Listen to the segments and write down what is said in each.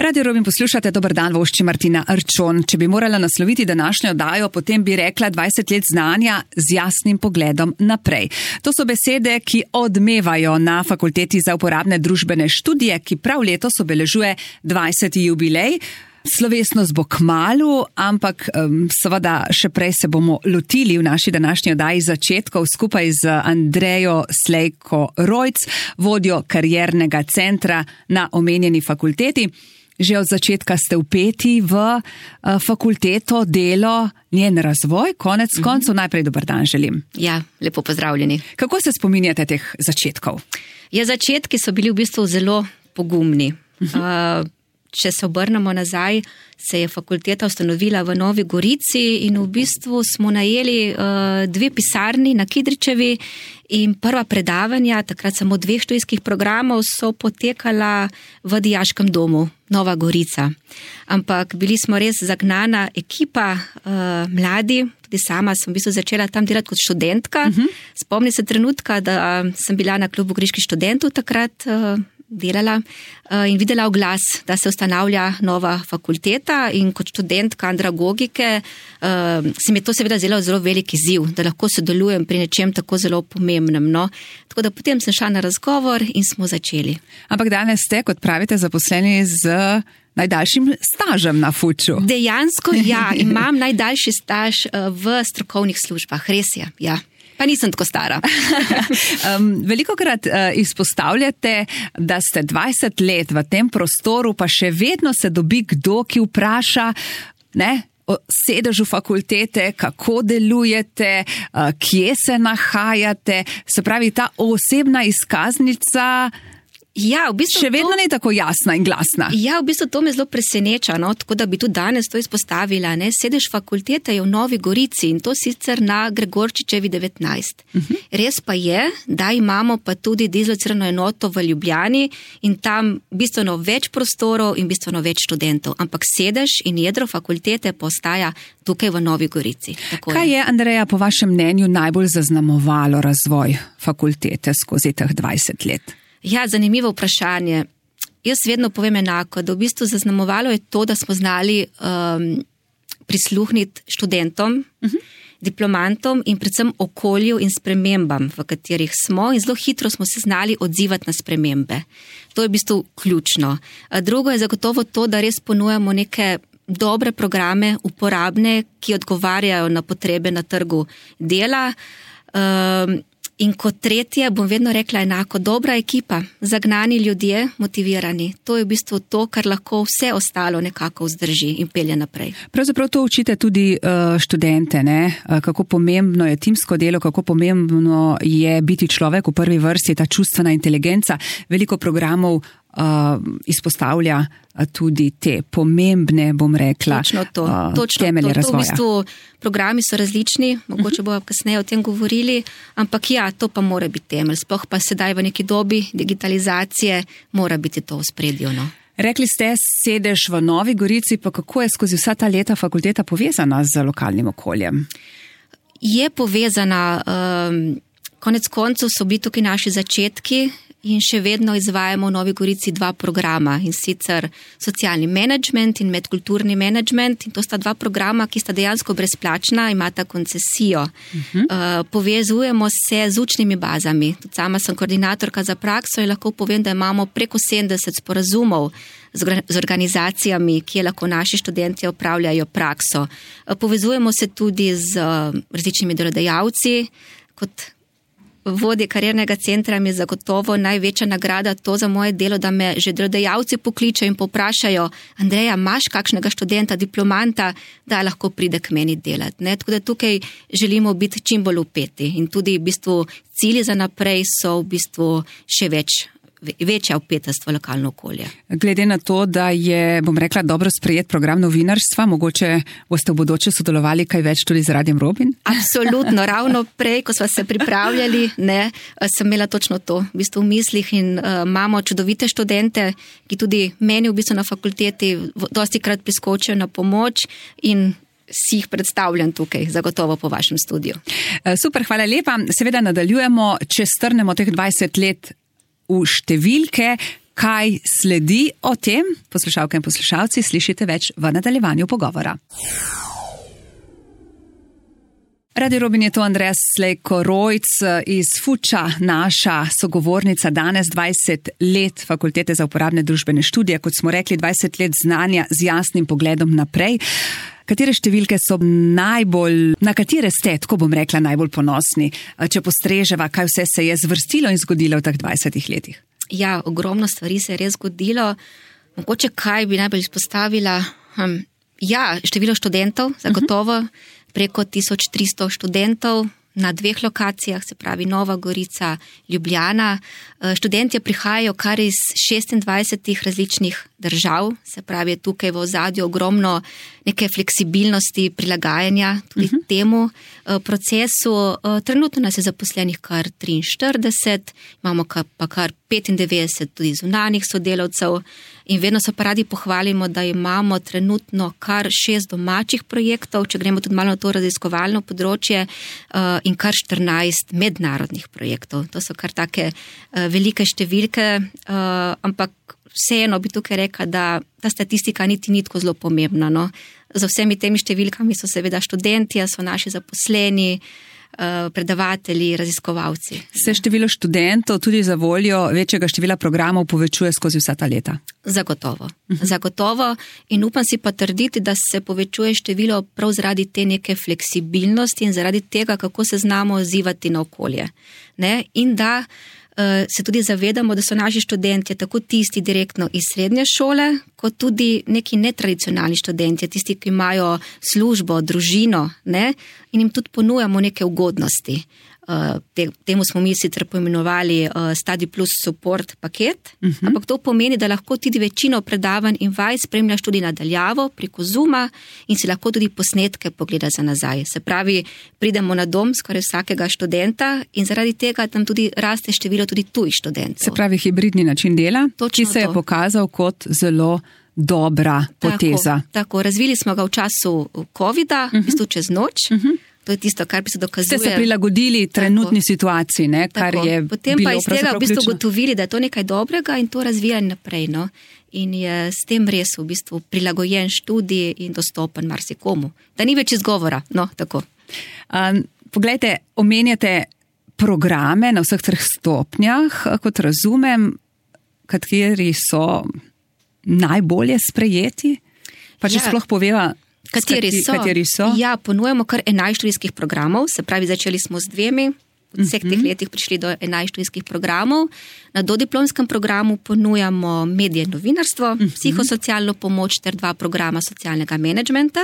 Radio Robin poslušate, dober dan, vošči Martina Arčon. Če bi morala nasloviti današnjo oddajo, potem bi rekla 20 let znanja z jasnim pogledom naprej. To so besede, ki odmevajo na Fakulteti za uporabne družbene študije, ki prav letos obeležuje 20. jubilej. Slovesnost bo kmalu, ampak seveda še prej se bomo lotili v naši današnji oddaji začetkov skupaj z Andrejo Slejko-Rojc, vodjo kariernega centra na omenjeni fakulteti. Že od začetka ste vpeti v fakulteto, delo, njen razvoj, konec koncev. Najprej dober dan želim. Ja, lepo pozdravljeni. Kako se spominjate teh začetkov? Ja, začetki so bili v bistvu zelo pogumni. Če se obrnemo nazaj, se je fakulteta ustanovila v Novi Gorici in v bistvu smo najeli 2 pisarni na Kidričevi in prva predavanja, takrat samo 2 študijskih programov, so potekala v dijaškem domu Nova Gorica. Ampak bili smo res zagnana ekipa, mladi, tudi sama sem v bistvu začela tam delati kot študentka. Spomnim se trenutka, da sem bila na klubu Goriških študentov takrat delala in videla oglas, da se ustanavlja nova fakulteta in kot študentka andragogike se mi je to seveda zelo velik izziv, da lahko sodelujem pri nečem tako zelo pomembnem. No? Tako da potem sem šla na razgovor in smo začeli. Ampak danes ste, kot pravite, zaposleni z najdaljšim stažem na Fuču. Dejansko ja, imam najdaljši staž v strokovnih službah, res je, ja. Pa nisem tako stara. Velikokrat izpostavljate, da ste 20 let v tem prostoru, pa še vedno se dobi kdo, ki vpraša, o sedežu fakultete, kako delujete, kje se nahajate. Se pravi, ta osebna izkaznica ja, v bistvu še vedno ni tako jasna in glasna. Ja, v bistvu to me zelo preseneča, no? Tako da bi tudi danes to izpostavila. Ne? Sedež fakultete je v Novi Gorici in to sicer na Gregorčičevi 19. Res pa je, da imamo pa tudi dislocirano enoto v Ljubljani in tam bistveno več prostorov in bistveno več študentov. Ampak sedež in jedro fakultete pa ostaja tukaj v Novi Gorici. Tako Kaj je, Andreja, po vašem mnenju najbolj zaznamovalo razvoj fakultete skozi teh 20 let? Ja, zanimivo vprašanje. Jaz vedno povem enako, da v bistvu zaznamovalo je to, da smo znali prisluhniti študentom, diplomantom in predvsem okolju in spremembam, v katerih smo in zelo hitro smo se znali odzivati na spremembe. To je v bistvu ključno. Drugo je zagotovo to, da res ponujamo neke dobre programe, uporabne, ki odgovarjajo na potrebe na trgu dela. In kot tretje bom vedno rekla enako, dobra ekipa, zagnani ljudje, motivirani. To je v bistvu to, kar lahko vse ostalo nekako vzdrži in pelje naprej. Pravzaprav to učite tudi študente, ne? Kako pomembno je timsko delo, kako pomembno je biti človek v prvi vrsti, ta čustvena inteligenca. Veliko programov izpostavlja tudi te pomembne, bom rekla, temelje razvoja. V bistvu programi so različni, mogoče bomo kasneje o tem govorili, ampak ja, to pa mora biti temelj. Sploh pa sedaj v neki dobi digitalizacije mora biti to v spredju. No? Rekli ste, sedež v Novi Gorici, pa kako je skozi vsa ta leta fakulteta povezana z lokalnim okoljem? Je povezana, konec koncev so bili tukaj naši začetki, in še vedno izvajamo v Novi Gorici 2 programa, in sicer socialni menedžment in medkulturni menedžment. In to sta 2 programa, ki sta dejansko brezplačna, imata koncesijo. Povezujemo se z učnimi bazami. Tudi sama sem koordinatorka za prakso in lahko povem, da imamo preko 70 sporazumov z organizacijami, ki lahko naši študenti opravljajo prakso. Povezujemo se tudi z različnimi delodajalci. Kot vodje kariernega centra mi je zagotovo največja nagrada to za moje delo, da me že delodajalci pokličejo in poprašajo, Andreja, imaš kakšnega študenta, diplomanta, da lahko pride k meni delati. Ne? Tako da tukaj želimo biti čim bolj vpeti in tudi v bistvu cilji za naprej so v bistvu še večja vpetost v lokalno okolje. Glede na to, da je, bom rekla, dobro sprejet program novinarstva, mogoče boste v bodoče sodelovali kaj več tudi z Radiem Robin? Absolutno, ravno prej, ko smo se pripravljali, sem imela točno to v bistvu v mislih in imamo čudovite študente, ki tudi meni v bistvu na fakulteti dostikrat priskočijo na pomoč in si jih predstavljam tukaj, zagotovo po vašem studiu. Super, hvala lepa. Seveda nadaljujemo, če strnemo teh 20 let v številke. Kaj sledi o tem, poslušalke in poslušalci, slišite več v nadaljevanju pogovora. Radio Robin je to Andreja Slejko-Rojc iz Fuča, naša sogovornica danes, 20 let Fakultete za uporabne družbene študije, kot smo rekli, 20 let znanja z jasnim pogledom naprej. Katere številke so na katere ste, tako bom rekla, najbolj ponosni, če postreževa, kaj vse se je zvrstilo in zgodilo v teh 20 letih? Ja, ogromno stvari se je res zgodilo. Mogoče kaj bi najbolj izpostavila? Število študentov, zagotovo. Preko 1300 študentov na 2 lokacijah, se pravi Nova Gorica, Ljubljana. Študentje prihajajo kar iz 26 različnih držav, se pravi tukaj v ozadju ogromno neke fleksibilnosti, prilagajanja tudi temu procesu. Trenutno nas je zaposlenih kar 43, imamo pa kar 95 tudi zunanjih sodelavcev in vedno se pa radi pohvalimo, da imamo trenutno kar 6 domačih projektov, če gremo tudi malo na to raziskovalno področje, in kar 14 mednarodnih projektov. To so kar take velike številke, ampak vseeno bi tukaj rekla, da ta statistika niti ni tako zelo pomembna. No. Za vsemi temi številkami so seveda študentje, so naši zaposleni, predavatelji, raziskovalci. Se število študentov tudi za voljo večjega števila programov povečuje skozi vsa ta leta? Zagotovo. Zagotovo in upam si pa trditi, da se povečuje število prav zaradi te neke fleksibilnosti in zaradi tega, kako se znamo odzivati na okolje. Ne? In da se tudi zavedamo, da so naši študentje tako tisti direktno iz srednje šole, kot tudi neki netradicionalni študentje, tisti, ki imajo službo, družino, ne? In jim tudi ponujamo neke ugodnosti. Temu smo mi sicer poimenovali Study Plus Support paket, ampak to pomeni, da lahko tudi večino predavanj in vaj spremljaš tudi nadaljavo preko Zooma in si lahko tudi posnetke pogleda za nazaj. Se pravi, pridemo na dom skoraj vsakega študenta in zaradi tega tam tudi raste število tudi tujih študentov. Se pravi, hibridni način dela, ki se je pokazal kot zelo dobra poteza. Tako, razvili smo ga v času COVID-a, v bistvu čez noč. To je tisto, kar bi se dokazuje. Ste se prilagodili trenutni situaciji, ne? Kar je potem pa iz tega v bistvu ugotovili, da je to nekaj dobrega in to razvijali naprej. No? In je s tem res v bistvu prilagojen študij in dostopen marsikomu. Da ni več izgovora. No, tako. Poglejte, omenjate programe na vseh 3 stopnjah, kot razumem, kateri so najbolje sprejeti? Pa če sploh poveva, Kateri so? Ja, ponujemo kar 11 študijskih programov, se pravi, začeli smo z 2, v vseh teh letih prišli do 11 študijskih programov. Na dodiplomskem programu ponujamo medije in novinarstvo, psihosocialno pomoč ter 2 programa socialnega menedžmenta.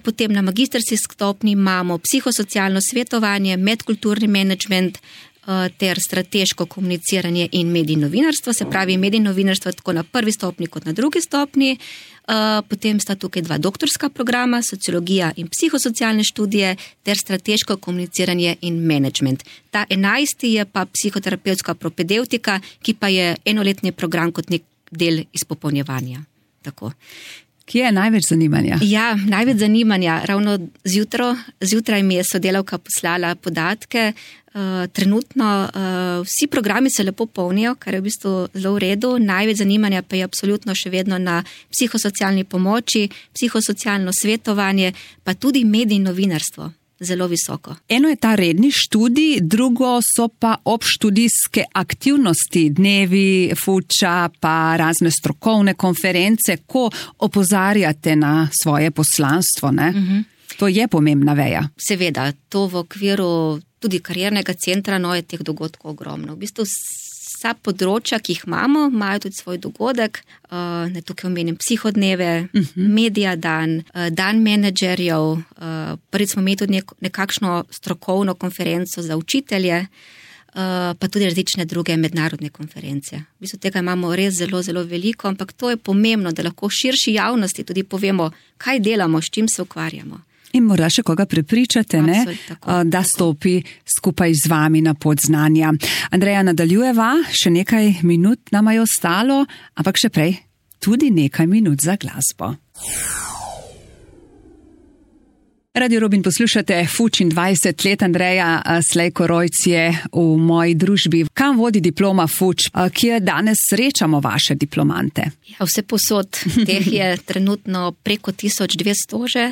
Potem na magistrski stopnji imamo psihosocialno svetovanje, medkulturni menedžment ter strateško komuniciranje in medij in novinarstvo, se pravi medij in novinarstvo tako na 1. stopnji kot na 2. stopnji. Potem sta tukaj 2 doktorska programa, sociologija in psihosocialne študije ter strateško komuniciranje in menedžment. Ta 11. je pa psihoterapevtska propedeutika, ki pa je enoletni program kot nek del izpopolnjevanja. Tako. Kje je največ zanimanja? Ja, največ zanimanja. Ravno zjutraj mi je sodelavka poslala podatke. Trenutno vsi programi se lepo polnijo, kar je v bistvu zelo v redu. Največ zanimanja pa je absolutno še vedno na psihosocialni pomoči, psihosocialno svetovanje, pa tudi medij in novinarstvo. Zelo visoko. Eno je ta redni študij, drugo so pa obštudijske aktivnosti, dnevi, Fuča, pa razne strokovne konference, ko opozarjate na svoje poslanstvo, ne? To je pomembna veja. Seveda, to v okviru tudi kariernega centra, no, je teh dogodkov ogromno. V bistvu vsa področja, ki jih imamo, imajo tudi svoj dogodek. Tukaj omenim psihodneve, medija dan, dan menedžerjev, prvič smo imeli tudi nekakšno strokovno konferenco za učitelje, pa tudi različne druge mednarodne konference. V bistvu tega imamo res zelo, zelo veliko, ampak to je pomembno, da lahko širši javnosti tudi povemo, kaj delamo, s čim se ukvarjamo. In morda še koga prepričate, ne, da stopi skupaj z vami na pot znanja. Andreja, nadaljujeva, še nekaj minut nama je ostalo, ampak še prej tudi nekaj minut za glasbo. Radio Robin poslušate, Fuč in 20 let, Andreja Slejko Rojc je v moji družbi. Kam vodi diploma Fuč, kje danes srečamo vaše diplomante? Ja, vse posod, teh je trenutno preko 1200 že.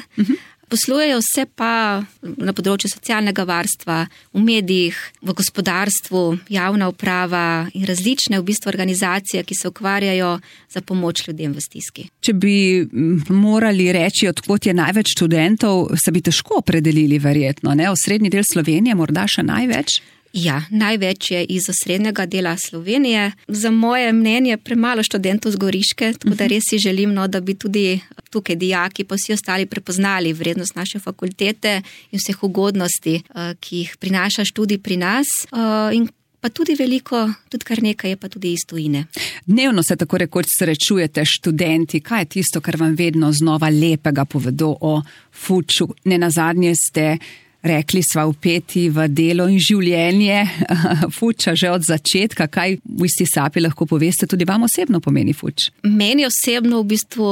Poslujejo vse pa na področju socialnega varstva, v medijih, v gospodarstvu, javna uprava in različne v bistvu organizacije, ki se ukvarjajo za pomoč ljudem v stiski. Če bi morali reči, odkot je največ študentov, se bi težko opredelili verjetno, ne? Osrednji del Slovenije morda še največ? Ja, največ je iz osrednjega dela Slovenije. Za moje mnenje premalo študentov z Goriške, tako da res si želim, da bi tudi tukaj dijaki pa vsi ostali prepoznali vrednost naše fakultete in vseh ugodnosti, ki jih prinaša študij pri nas. In pa tudi veliko, tudi kar nekaj je pa tudi iz tujine. Dnevno se tako rekoč srečujete študenti. Kaj je tisto, kar vam vedno znova lepega povedo o Fuču? Nenazadnje ste rekli, sva vpeti v delo in življenje Fuča že od začetka. Kaj v isti sapi lahko poveste, tudi vam osebno pomeni Fuč? Meni osebno v bistvu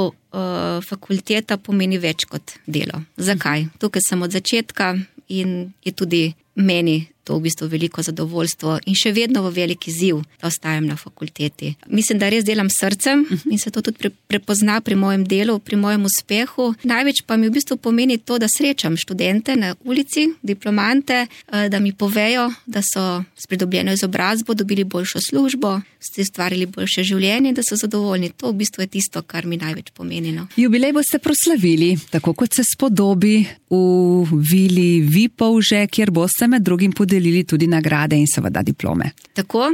fakulteta pomeni več kot delo. Zakaj? Tukaj sem od začetka in je tudi meni to v bistvu veliko zadovoljstvo in še vedno v veliki izziv, da ostajam na fakulteti. Mislim, da res delam srcem in se to tudi prepozna pri mojem delu, pri mojem uspehu. Največ pa mi v bistvu pomeni to, da srečam študente na ulici, diplomante, da mi povejo, da so s pridobljeno izobrazbo dobili boljšo službo, ste ustvarili boljše življenje, da so zadovoljni. To v bistvu je tisto, kar mi največ pomeni. Jubilej boste proslavili, tako kot se spodobi, v vili Vipavže, kjer boste med drugim podelili tudi nagrade in seveda diplome. Tako,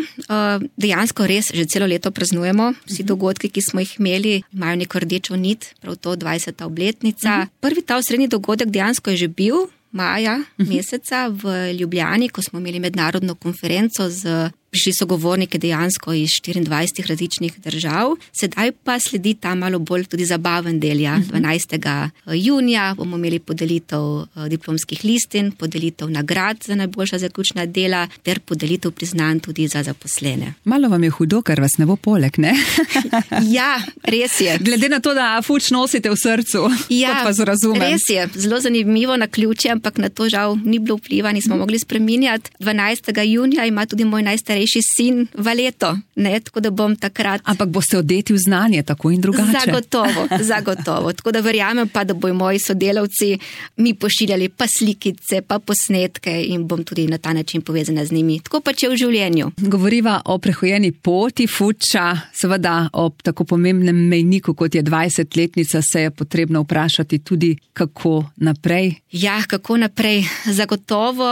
dejansko res že celo leto praznujemo. Vsi dogodki, ki smo jih imeli, imajo neko rdečo nit, prav to 20. obletnica. Prvi ta osrednji dogodek dejansko je že bil maja meseca v Ljubljani, ko smo imeli mednarodno konferenco prišli so govorniki dejansko iz 24 različnih držav. Sedaj pa sledi ta malo bolj tudi zabaven del. 12. junija bomo imeli podelitev diplomskih listin, podelitev nagrad za najboljša zaključna dela ter podelitev priznanj tudi za zaposlene. Malo vam je hudo, ker vas ne bo poleg, ne? Ja, res je. Glede na to, da Fuč nosite v srcu, ja, kot vas razumem. Res je. Zelo zanimivo naključje, ampak na to žal ni bilo vpliva, nismo mogli spreminjati. 12. junija ima tudi moj najstarejši sin Valeto, ne, tako da bom takrat... Ampak boste odeti v znanje, tako in drugače. Zagotovo. Tako da verjamem pa, da bojo moji sodelavci mi pošiljali pa slikice, pa posnetke in bom tudi na ta način povezana z njimi. Tako pa če v življenju. Govoriva o prehojeni poti Fuča, seveda ob tako pomembnem mejniku, kot je 20-letnica, se je potrebno vprašati tudi, kako naprej. Ja, kako naprej. Zagotovo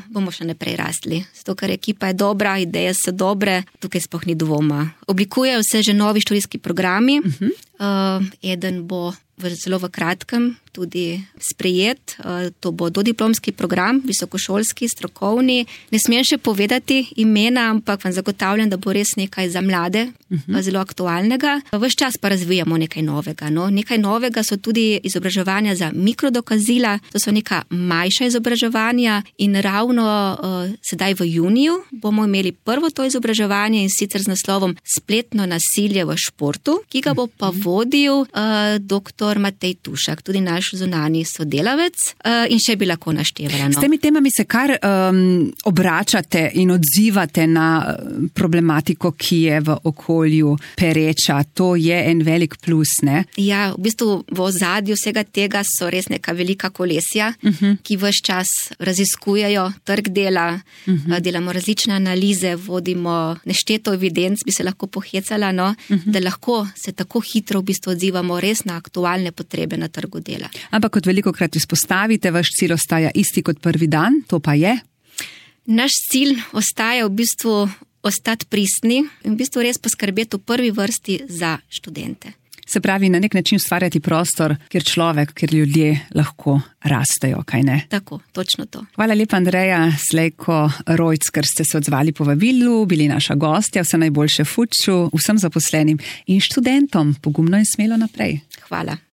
bomo še naprej rastli. Zato, ker ekipa je dobra, ideje so dobre, tukaj sploh ni dvoma. Oblikujejo se že novi študijski programi. Eden bo zelo v kratkem tudi sprejet. To bo dodiplomski program, visokošolski, strokovni. Ne smem še povedati imena, ampak vam zagotavljam, da bo res nekaj za mlade, zelo aktualnega. Ves čas pa razvijamo nekaj novega. Nekaj novega so tudi izobraževanja za mikrodokazila, to so neka manjša izobraževanja in ravno sedaj v juniju bomo imeli prvo to izobraževanje in sicer z naslovom Spletno nasilje v športu, ki ga bo pa vodil dr. Matej Tušak, tudi naš zunanji sodelavec in še bi lahko naštevala. S temi temami se kar obračate in odzivate na problematiko, ki je v okolju pereča. To je en velik plus, ne? Ja, v bistvu v ozadju vsega tega so res neka velika kolesja, ki ves čas raziskujejo trg dela, delamo različne analize, vodimo nešteto evidenc, bi se lahko pohecala, da lahko se tako hitro v bistvu odzivamo res na aktualne potrebe na trgu dela. Ampak kot velikokrat izpostavite, vaš cilj ostaja isti kot prvi dan, to pa je? Naš cilj ostaja v bistvu ostati pristni in v bistvu res poskrbeti v prvi vrsti za študente. Se pravi, na nek način ustvarjati prostor, kjer ljudje lahko rastejo, kaj ne? Tako, točno to. Hvala lepa, Andreja Slejko Rojc, ker ste se odzvali povabilu, bili naša gostja, vse najboljše Fuču, vsem zaposlenim in študentom. Pogumno in smelo naprej. Hvala.